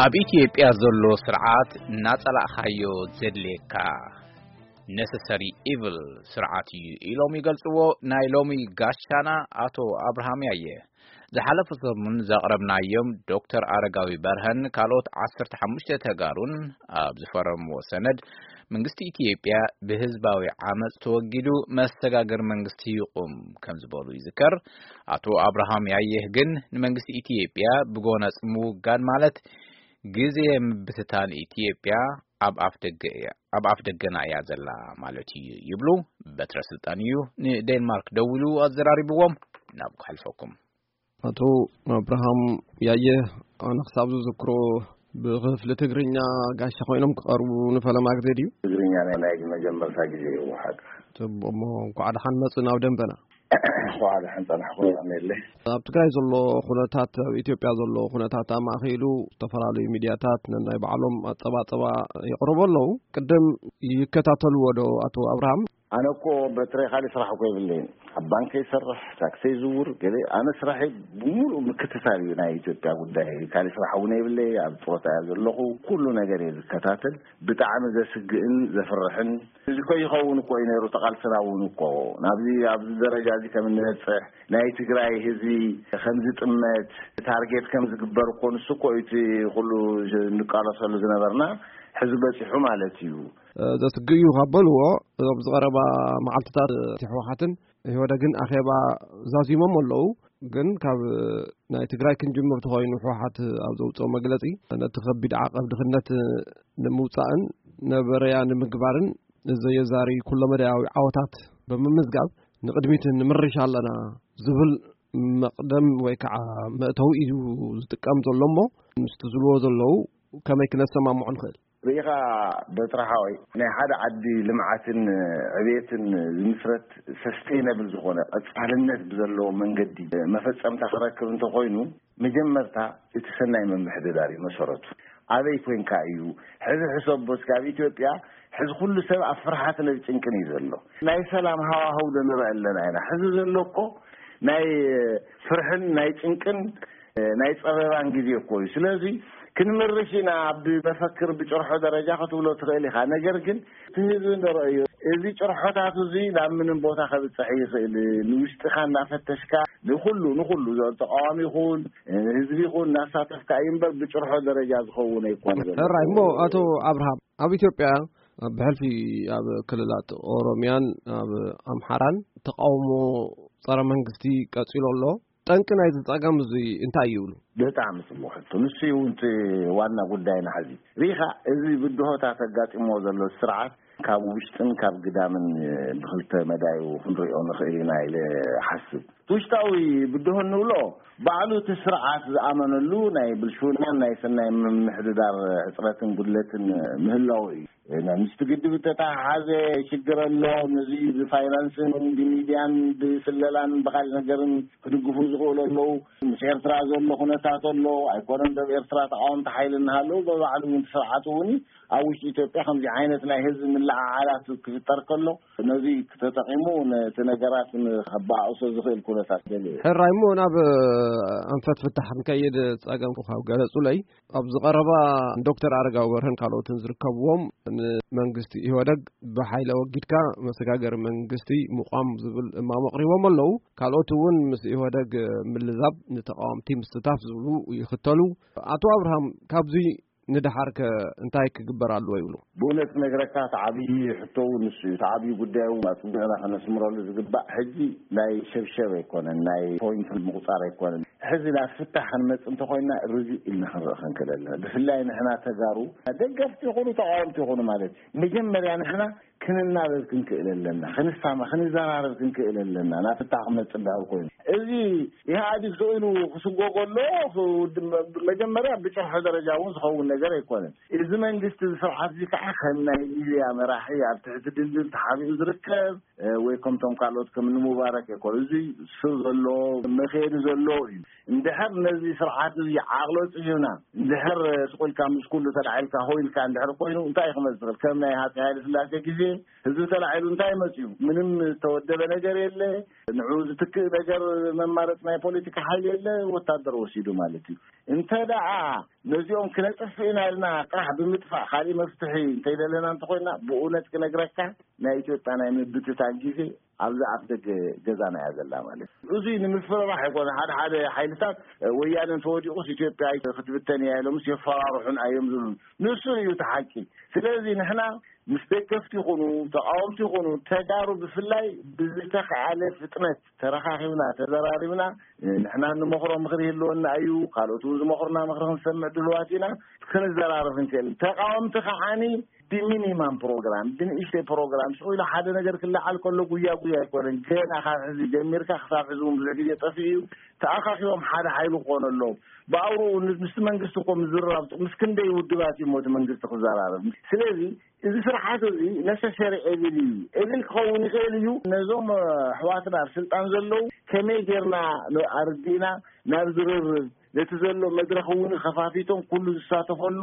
ኣብ ኢትዮጵያ ዘሎ ስርዓት እናጸላእኻዮ ዘድልየካ፣ ነሰሰሪ ኢቭል ስርዓት እዩ ኢሎም ይገልጽዎ ናይ ሎሚ ጋሻና ኣቶ ኣብርሃም ያየ። ዝሓለፈ ሰሙን ዘቕረብናዮም ዶክተር ኣረጋዊ በርሀን ካልኦት ዓሰርተ ሓሙሽተ ተጋሩን ኣብ ዝፈረምዎ ሰነድ፣ መንግስቲ ኢትዮጵያ ብህዝባዊ ዓመጽ ተወጊዱ መሰጋገር መንግስቲ ይቑም ከም ዝበሉ ይዝከር። ኣቶ ኣብርሃም ያየህ ግን ንመንግስቲ ኢትዮጵያ ብጎነጽ ምውጋድ ማለት ግዜ ምብትታን ኢትዮጵያ ኣብ ኣፍ ደገ እያ፣ ኣብ ኣፍ ደገና እያ ዘላ ማለት እዩ ይብሉ። በትረ ስልጣን እዩ ንዴንማርክ ደውሉ ኣዘራሪብዎም። ናብ ክሕልፈኩም። ኣቶ ኣብርሃም ያየ፣ ኣነ ክሳብ ዝዝክሮ ብክፍሊ ትግርኛ ጋሻ ኮይኖም ክቐርቡ ንፈለማ ግዜ ድዩ? ትግርኛ ናይ፣ ናይ መጀመርታ ግዜ እዩ ሓቂ። ጽቡቕ፣ እሞ እንኳዕ ደሓን መጹ ናብ ደንበና። እንኳዕ ደሓን ጸናሕኩም። ኣሜለ። ኣብ ትግራይ ዘሎ ኩነታት፣ ኣብ ኢትዮጵያ ዘሎ ኩነታት ኣማእኪሉ ዝተፈላለዩ ሚድያታት ነናይ ባዕሎም ኣጸባጸባ የቕርቡ ኣለዉ። ቅድም ይከታተልዎ ዶ ኣቶ ኣብርሃም? ኣነ እኮ በትረ ካልእ ስራሕ እኮ የብለይን። ኣብ ባንክ ይሰርሕ፣ ታክሲ ይዝውር፣ ገለ። ኣነ ስራሐይ ብምሉእ ምክትታል እዩ ናይ ኢትዮጵያ ጉዳይ። ካልእ ስራሕ እውን የብለይ፣ ኣብ ጡረታ እየ ዘለኹ። ኩሉ ነገር እየ ዝከታተል። ብጣዕሚ ዘስግእን ዘፍርሕን፣ እዚ እኮ ይኸውን እኮ እዩ ነይሩ፣ ተቓልስና እውን እኮ ናብዚ፣ ኣብዚ ደረጃ እዚ ከም እንበጽሕ፣ ናይ ትግራይ ህዝቢ ከም ዝጥመት ታርጌት ከም ዝግበር እኮ፣ ንሱ እኮ እዩ እቲ ኩሉ እንቃለሰሉ ዝነበርና፣ ሕዚ በጺሑ ማለት እዩ። እ፣ ዘስግእ እዩ ካብ በልዎ፣ እዞም ዝቐረባ መዓልትታት እቲ ህወሓትን ኢህወደግን ኣኼባ ዛዚሞም ኣለዉ። ግን ካብ ናይ ትግራይ ክንጅምር ተኾይኑ፣ ህወሓት ኣብ ዘውፅኦ መግለፂ፣ ነቲ ከቢድ ዓቐብ ድኽነት ንምውፃእን ነበረያ ንምግባርን ዘየዛሪ ኩለመዳያዊ ዓወታት ብምምዝጋብ ንቕድሚት ንምርሽ ኣለና ዝብል መቕደም ወይ ከዓ መእተዊ እዩ ዝጥቀም ዘሎ እሞ፣ ምስቲ ዝብልዎ ዘለዉ ከመይ ክነሰማምዖ ንኽእል? ርኢኻ በትረ ሓወይ፣ ናይ ሓደ ዓዲ ልምዓትን ዕቤትን ዝምስረት ሰስቴይነብል ዝኾነ ቀጻልነት ብዘለዎ መንገዲ መፈጸምታ ክረክብ እንተኾይኑ፣ መጀመርታ እቲ ሰናይ ምምሕድዳር እዩ መሰረቱ። ኣበይ ኮንካ እዩ? ሕዚ ሕሰቦ እስኪ፣ ኣብ ኢትዮጵያ ሕዚ ኩሉ ሰብ ኣብ ፍርሓትን ኣብ ጭንቅን እዩ ዘሎ። ናይ ሰላም ሃዋህው ዶ ንርኢ ኣለና ኢና? ሕዚ ዘሎ እኮ ናይ ፍርሕን ናይ ጭንቅን ናይ ጸበባን ግዜ እኮ እዩ። ስለዚ ክንምርሽ ኢና፣ ብመፈክር ብጭርሖ ደረጃ ክትብሎ ትኽእል ኢኻ። ነገር ግን እቲ ህዝቢ ንረእዮ፣ እዚ ጭርሖታት እዚ ናብ ምንም ቦታ ከብጽሕ ይኽእል። ንውሽጥኻ እናፈተሽካ ንኹሉ፣ ንኹሉ ተቃዋሚ ይኹን ህዝቢ ይኹን እናሳተፍካ እዩ እምበር ብጭርሖ ደረጃ ዝኸውን ኣይኮነ ዘሎ። ሕራይ እሞ ኣቶ ኣብርሃም፣ ኣብ ኢትዮጵያ ብሕልፊ ኣብ ክልላት ኦሮሚያን ኣብ ኣምሓራን ተቃውሞ ጸረ መንግስቲ ቀጺሉ ኣሎ። ጠንቂ ናይዚ ጸገም እዚ እንታይ ይብሉ? ብጣዕሚ ጽቡቕ ሕቶ። ንሱ እዩ እውን እቲ ዋና ጉዳይና ሕዚ። ርኢኻ፣ እዚ ብድሆታት ኣጋጢምዎ ዘሎ ስርዓት ካብ ውሽጥን ካብ ግዳምን ብኽልተ መዳዩ ክንሪኦ ንኽእል ኢና ኢለ እሓስብ። እቲ ውሽጣዊ ብድሆ እንብሎ ባዕሉ እቲ ስርዓት ዝኣመነሉ ናይ ብልሽውናን ናይ ሰናይ ምምሕድዳር ሕጽረትን ጉድለትን ምህላው እዩ። ምስቲ ግድብ እተተሓሓዘ ሽግር ኣሎ። ነዚ ብፋይናንስን ብሚድያን ብስለላን ብኻልእ ነገርን ክድግፉ ዝኽእሉ ኣለዉ። ምስ ኤርትራ ዘሎ ኩነታት ኣሎ። ኣይኮነን ዶብ ኤርትራ ተቃወምቲ ሓይሊ እናሃለዉ፣ ብባዕሉ እውን እቲ ስርዓት እውን ኣብ ውሽጢ ኢትዮጵያ ከምዚ ዓይነት ናይ ህዝቢ ምልዕዓላት ክፍጠር ከሎ፣ ነዚ ተጠቂሙ ነቲ ነገራት ንከበኣእሶ ዝኽእል ኩነታት ደልዩ። ሕራይ እሞ ናብ ኣንፈት ፍታሕ ክንከይድ ጸገም ካብ ገለጹለይ፣ ኣብዚ ቀረባ ዶክተር ኣረጋዊ በርሀን ካልኦትን ዝርከብዎም፣ ንመንግስቲ ኢህወደግ ብሓይሊ ኣወጊድካ መሰጋገሪ መንግስቲ ምቋም ዝብል እማም ኣቕሪቦም ኣለዉ። ካልኦት እውን ምስ ኢህወደግ ምልዛብ፣ ንተቃወምቲ ምስታፍ ዝብሉ ይኽተሉ። ኣቶ ኣብርሃም፣ ካብዚ ንደሓር ከ እንታይ ክግበር ኣለዎ ይብሉ? ብእውነት ክነግረካ፣ እቲ ዓብዪ ሕቶ እውን ንሱ እዩ። እቲ ዓብዪ ጉዳይ እውን ኣጽቢቕና ከነስምረሉ ዝግባእ፣ ሕጂ ናይ ሸብሸብ ኣይኮነን፣ ናይ ፖይንት ምቑጻር ኣይኮነን። ሕዚ ናብ ፍታሕ ክንመጽእ እንተኾይንና ርግእ ኢልና ክንርኢ ክንክእል ኣለና። ብፍላይ ንሕና ተጋሩ፣ ደገፍቲ ይኹኑ ተቃወምቲ ይኹኑ ማለት እዩ፣ መጀመርያ ንሕና ክንናበብ ክንክእል ኣለና፣ ክንሳማ፣ ክንዘራረብ ክንክእል ኣለና፣ ናብ ፍታሕ ክመጽእ እንድሕር ኮይኑ። እዚ ኢህኣዲግ ስኢሉ ክስጎ ከሎ፣ መጀመርያ ብጭርሖ ደረጃ እውን ዝኸውን ነገር ኣይኮነን። እዚ መንግስቲ፣ እዚ ስርዓት እዚ ከዓ ከም ናይ ሊብያ መራሒ ኣብ ትሕቲ ድልድል ተሓቢኡ ዝርከብ፣ እ፣ ወይ ከምቶም ካልኦት ከም ንሙባረክ ኣይኮነ። እዚ ስር ዘሎ፣ መኸየዲ ዘሎ እዩ። እንድሕር ነዚ ስርዓት እዚ ዓቕሎ ጽሂብና፣ እንድሕር ስቕ ኢልካ ምስ ኩሉ ተላዒልካ ሆ ኢልካ እንድሕር ኮይኑ፣ እንታይ እዩ ክመጽእ ዝኽእል? ከም ናይ ሃጸይ ሃይለ ስላሴ ግዜ ህዝቢ ተላዒሉ እንታይ መፅዩ? ምንም ዝተወደበ ነገር የለ። ንዑ ዝትክእ ነገር መማረፅ ናይ ፖለቲካ ሓይሊ የለ። ወታደር ወሲዱ ማለት እዩ። እንተ ደኣ ነዚኦም ክነጥፍእ ኢና ኢልና ጥራሕ ብምጥፋእ ካሊእ መፍትሒ እንተይደለና እንተኮይና፣ ብእውነት ክነግረካ ናይ ኢትዮጵያ ናይ ምብትታን ግዜ ኣብዛ ኣፍ ደገ ገዛና እያ ዘላ ማለት እዩ። እዙይ ንምፍርራሕ ኣይኮነ። ሓደ ሓደ ሓይልታት ወያነ እንተወዲቑስ ኢትዮጵያ ክትብተን እያ ኢሎምስ የፈራርሑን እዮም ዝብሉ። ንሱ እዩ እቲ ሓቂ። ስለዚ ንሕና ምስ ደገፍቲ ይኹኑ ተቃወምቲ ይኹኑ፣ ተጋሩ ብፍላይ ብዝተኻኣለ ፍጥነት ተረኻኺብና ተዘራሪብና፣ ንሕና እንመኽሮ ምኽሪ ይህልወና እዩ፣ ካልኦት እውን ዝመኽሩና ምኽሪ ክንሰምዕ ድልዋት ኢና። ክንዘራረብ እንክእል፣ ተቃወምቲ ከዓኒ ብሚኒማም ፕሮግራም፣ ብንእሽተይ ፕሮግራም፣ ስቕ ኢሉ ሓደ ነገር ክለዓል ከሎ ጉያ ጉያ ኣይኮነን። ገና ካብ ሕዚ ጀሚርካ ክሳብ ሕዚ እውን ብዙሕ ግዜ ጠፊኡ እዩ። ተኣኻኺቦም ሓደ ሓይሊ ክኾኑ ኣለዎም። ብኣውርኡ ምስ መንግስቲ እኮ ምዝርራብ ምስ ክንደይ ውድባት እዩ እቲ መንግስቲ ክዘራረብ። ስለዚ እዚ ስርዓት እዚ ነሰሰሪ ኤቪል እዩ። ኤቪል ክኸውን ይኽእል እዩ። ነዞም ኣሕዋትና ኣብ ስልጣን ዘለዉ ከመይ ጌርና ኣርዲእና ናብ ዝርርብ፣ ነቲ ዘሎ መድረኽ እውን ከፋፊቶም ኩሉ ዝሳተፈሉ፣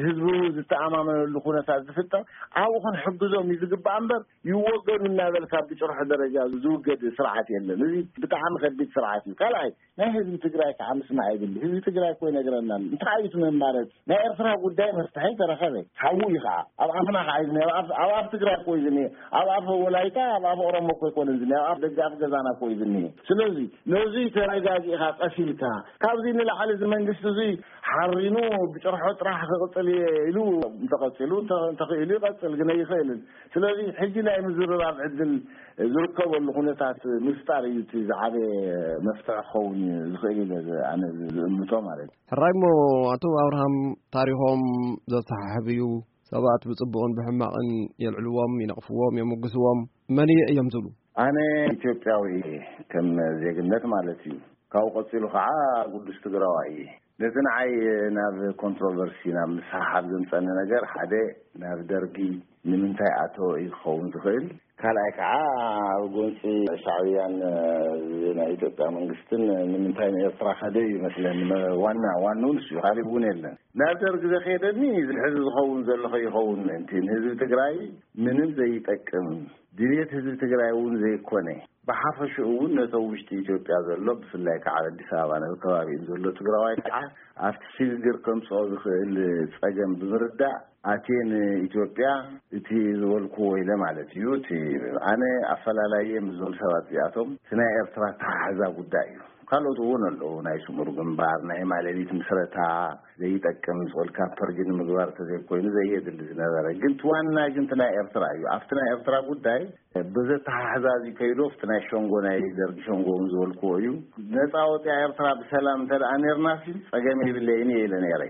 ህዝቢ እውን ዝተኣማመነሉ ኩነታት ዝፍጠር፣ ኣብኡ ክንሕግዞም እዩ ዝግባእ እምበር፣ ይወገዱ እናበልካ ብጭርሖ ደረጃ ዝውገድ ስርዓት የለን። እዚ ብጣዕሚ ከቢድ ስርዓት እዩ። ካልኣይ፣ ናይ ህዝቢ ትግራይ ከዓ ምስማዕ የብሉ። ህዝቢ ትግራይ እኮ ይነግረና ኣሎ። እንታይ እዩ እቲ መማረፂ? ናይ ኤርትራ ጉዳይ መፍትሒ ተረኸበ። ሓዉ እዩ ከዓ። ኣብ ኣፍና ከዓ እዩ ዝኒሀ። ኣብ ኣፍ፣ ኣብ ኣፍ ትግራይ እኮ እዩ ዝኒሀ። ኣብ ኣፍ ወላይታ፣ ኣብ ኣፍ ኦሮሞ እኮ ኣይኮነን ዝኒሀ። ኣብ ኣፍ ደገ ኣፍ ገዛና እኮ እዩ ዝኒሀ። ስለዚ ነዚ ተረጋጊእካ ቀሲልካ፣ ካብዚ ንላዕሊ እዚ መንግስቲ እዚ ሓሪኑ ብጭርሖ ጥራሕ ክቕፅል እየ ኢሉ እንተቐፂሉ፣ እንተ-፣ እንተኽኢሉ ይቐፅል፣ ግን ኣይኽእልን። ስለዚ ሕጂ ናይ ምዝርራብ ዕድል ዝርከበሉ ኩነታት ምፍጣር እዩ እቲ ዝዓበየ መፍትሒ ክኸውን ዝኽእል ኢለ ዝ-፣ ኣነ ዝእምቶ ማለት እዩ። ሕራይ እሞ፣ ኣቶ ኣብርሃም፣ ታሪኾም ዘሰሓሕብ እዩ። ሰባት ብጽቡቕን ብሕማቕን የልዕልዎም፣ ይነቕፍዎም፣ የሞግስዎም። መን እየ እዮም ዝብሉ? ኣነ ኢትዮጵያዊ እየ፣ ከም ዜግነት ማለት እዩ። ካብኡ ቀጺሉ ኸዓ ቅዱስ ትግራዋይ እየ። ነቲ ንዓይ ናብ ኮንትሮቨርሲ፣ ናብ ምስሕሓብ ዘምጸኒ ነገር፣ ሓደ፣ ናብ ደርጊ ንምንታይ ኣተወ እዩ ክኸውን ዝኽእል። ካልኣይ ከዓ ኣብ ጎንፂ ሻዕብያን፣ እ፣ ናይ ኢትዮጵያ መንግስትን ንምንታይ ንኤርትራ ከደ እዩ ይመስለኒ። መ-፣ ዋና፣ ዋንኡ ንሱ እዩ፣ ካሊእ እውን የለን። ናብ ደርጊ ዘኸየደኒ ዝሕዚ ዝኸውን ዘሎ ከይኸውን ምእንቲ ንህዝቢ ትግራይ ምንም ዘይጠቅም፣ ድልየት ህዝቢ ትግራይ እውን ዘይኮነ፣ ብሓፈሽኡ እውን ነቶም ውሽጢ ኢትዮጵያ ዘሎ፣ ብፍላይ ከዓ ኣብ ኣዲስ ኣበባ ነቲ ከባቢኡን ዘሎ ትግራዋይ ከዓ ኣብቲ ሽግግር ከምፅኦ ዝኽእል ፀገም ብምርዳእ ኣትየ ንኢትዮጵያ እቲ ዝበልኩዎ ኢለ ማለት እዩ። እቲ ኣነ ኣፈላላየ ምስዞም ሰባት እዚኣቶም እቲ ናይ ኤርትራ ኣተሓሕዛ ጉዳይ እዩ። ካልኦት እውን ኣለዉ፣ ናይ ስሙር ግንባር፣ ናይ ማለሊት ምስረታ ዘይጠቅም ዝብል ካብ ፐርጊ ንምግባር ተዘይኮይኑ ዘየድሊ ዝነበረ። ግን እቲ ዋና ግን እቲ ናይ ኤርትራ እዩ። ኣብቲ ናይ ኤርትራ ጉዳይ ብዘተሓሕዛ እዚ ከይዱ ኣብቲ ናይ ሸንጎ፣ ናይ ደርጊ ሸንጎ እውን ዝበልክዎ እዩ። ነፃ ወፂኣ ኤርትራ ብሰላም እንተ ደኣ ነርናሲ ጸገም የብለይን እየ ኢለ ነይረ።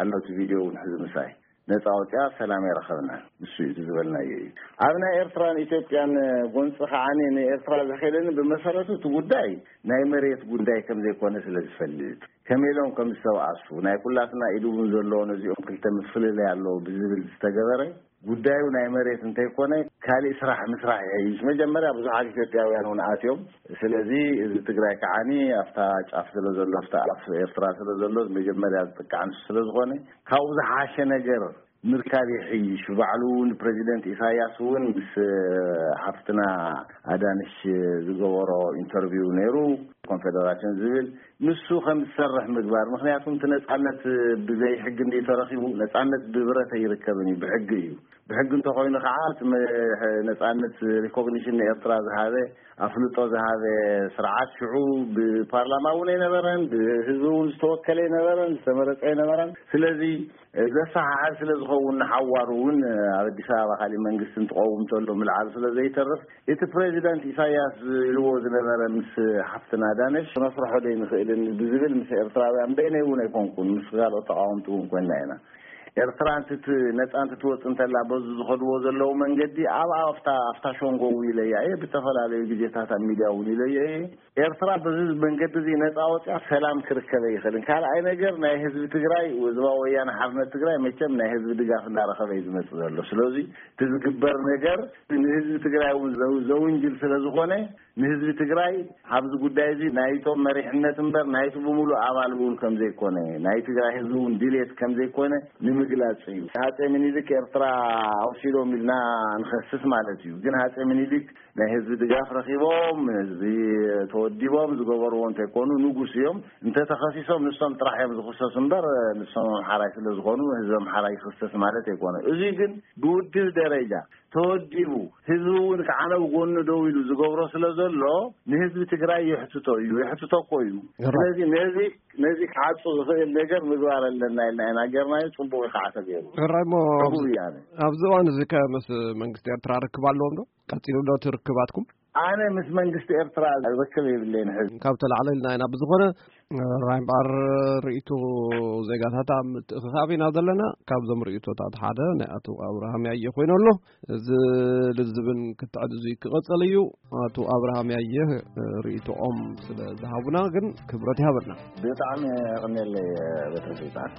ኣሎ እቲ ቪድዮ እውን ሕዚ ምሳይ። ነፃ ወፂኣ ሰላም የረኸብና። ንሱ እዩ እቲ ዝበልናዮ እዩ። ኣብ ናይ ኤርትራን ኢትዮጵያን ጎንፂ ከዓኒ ንኤርትራ ዘኸደኒ ብመሰረቱ እቲ ጉዳይ ናይ መሬት ጉዳይ ከም ዘይኮነ ስለ ዝፈልጥ፣ ከመይ ኢሎም ከም ዝተባኣሱ፣ ናይ ኩላትና ኢድ እውን ዘለዎ ነዚኦም ክልተ ምፍልላይ ኣለዎ ብዝብል ዝተገበረ ጉዳዩ ናይ መሬት እንተይኮነ ካሊእ ስራሕ ምስራሕ ይሕይሽ። መጀመርያ ብዙሓት ኢትዮጵያውያን እውን ኣትዮም። ስለዚ እዚ ትግራይ ከዓኒ ኣብታ ጫፍ ስለ ዘሎ፣ ኣብታ ኣፍ ኤርትራ ስለ ዘሎ መጀመርያ ዝጥቃዕ ንሱ ስለ ዝኾነ ካብኡ ዝሓሸ ነገር ምርካብ ይሕይሽ። ባዕሉ እውን ፕሬዚደንት ኢሳያስ እውን ምስ ሓፍትና ኣዳነሽ ዝገበሮ ኢንተርቪው ነይሩ፣ ኮንፌደራሽን ዝብል ንሱ ከም ዝሰርሕ ምግባር። ምክንያቱ እቲ ነፃነት ብዘይ ሕጊ እንዲ ተረኪቡ፣ ነፃነት ብብረት ኣይርከብን እዩ፣ ብሕጊ እዩ። ብሕጊ እንተኮይኑ ከዓ እቲ መ-፣ ነፃነት ሪኮግኒሽን ንኤርትራ ዝሃበ፣ ኣፍልጦ ዝሃበ ስርዓት ሽዑ ብፓርላማ እውን ኣይነበረን፣ ብህዝቢ እውን ዝተወከለ ኣይነበረን፣ ዝተመረፀ ኣይነበረን። ስለዚ ዘሰሓሕብ ስለ ዝኸውን ንሓዋሩ እውን ኣብ ኣዲስ ኣበባ ካሊእ መንግስቲ እንትቀውም እንተሎ ምልዓሉ ስለ ዘይተርፍ፣ እቲ ፕሬዚዳንት ኢሳያስ ኢልዎ ዝነበረ ምስ ሓፍትና ዳነሽ ክነስርሖ ዶ ኣይንኽእልን ብዝብል ምስ ኤርትራውያን፣ በይነይ እውን ኣይኮንኩን፣ ምስ ካልኦት ተቃወምቲ እውን ኮይና ኢና። ኤርትራ እንትት-፣ ነጻ እንትትወጽእ እንተላ በዚ ዝኸድዎ ዘለዉ መንገዲ ኣብ፣ ኣብታ፣ ኣብታ ሸንጎ እውን ኢለያ እየ፣ ብተፈላለዩ ግዜታት ኣብ ሚድያ እውን ኢለዮ እየ። ኤርትራ በዚ መንገዲ እዚ ነፃ ወፅያ ሰላም ክርከብ ኣይኽእልን። ካልኣይ ነገር ናይ ህዝቢ ትግራይ፣ ህዝባዊ ወያነ ሓርነት ትግራይ መቸም ናይ ህዝቢ ድጋፍ እናረኸበ እዩ ዝመፅእ ዘሎ። ስለዚ እቲ ዝግበር ነገር ንህዝቢ ትግራይ እውን ዘው- ዘውንጅል ስለ ዝኾነ ንህዝቢ ትግራይ ኣብዚ ጉዳይ እዚ ናይቶም መሪሕነት እምበር ናይቲ ብምሉእ ኣባል እውን ከም ዘይኮነ ናይ ትግራይ ህዝቢ እውን ድሌት ከም ዘይኮነ ንምግላፅ እዩ። ሃፀይ ምኒልክ ኤርትራ ወሲዶም ኢልና ንኸስስ ማለት እዩ። ግን ሃፀይ ምኒልክ ናይ ህዝቢ ድጋፍ ረኺቦም፣ ህዝቢ ተወዲቦም ዝገበርዎ እንተይኮኑ ንጉስ እዮም። እንተተኸሲሶም ንሶም ጥራሕ እዮም ዝኽሰሱ እምበር ንሶም ኣምሓራይ ስለ ዝኾኑ ህዝቢ ኣምሓራይ ይኽሰስ ማለት ኣይኮነ። እዚ ግን ብውድብ ደረጃ ተወዲቡ ህዝቢ እውን ከዓነ ብጎኑ ደው ኢሉ ዝገብሮ ስለ ዘሎ ንህዝቢ ትግራይ የሕትቶ እዩ፣ የሕትቶ እኮ እዩ። ራ- ስለዚ ነዚ ነዚ ክዓጹ ዝኽእል ነገር ምግባር ኣለና ኢልና ኢና ገርናዮ። ጽቡቕ እዩ ከዓ ተገይሩ። ሕራይ እሞ ሕቡእ ኣብዚ እዩ ኣነ ኣብዚ እዋን እዚ ከ ምስ መንግስቲ ኤርትራ ርክብ ኣለዎም ዶ? ቀጺሉ ዶ እቲ ርክባትኩም? ኣነ ምስ መንግስቲ ኤርትራ ርክብ የብለይን ሕዚ። ካብ ተላዕለ ኢልና ኢና። ብዝኾነ ራይ እምበኣር ርእይቶ ዜጋታት ኣብ ምትእኽኻብ ኢና ዘለና። ካብዞም ርእይቶታት ሓደ ናይ ኣቶ ኣብርሃም ያየ ኮይኑ ኣሎ። እዚ ልዝብን ክትዕድ እዙይ ክቐጸል እዩ። ኣቶ ኣብርሃም ያየ ርእይቶኦም ስለ ዝሃቡና ግን ክብረት ይሃበልና። ብጣዕሚ የቐንየለይ በትሪ ስልጣን።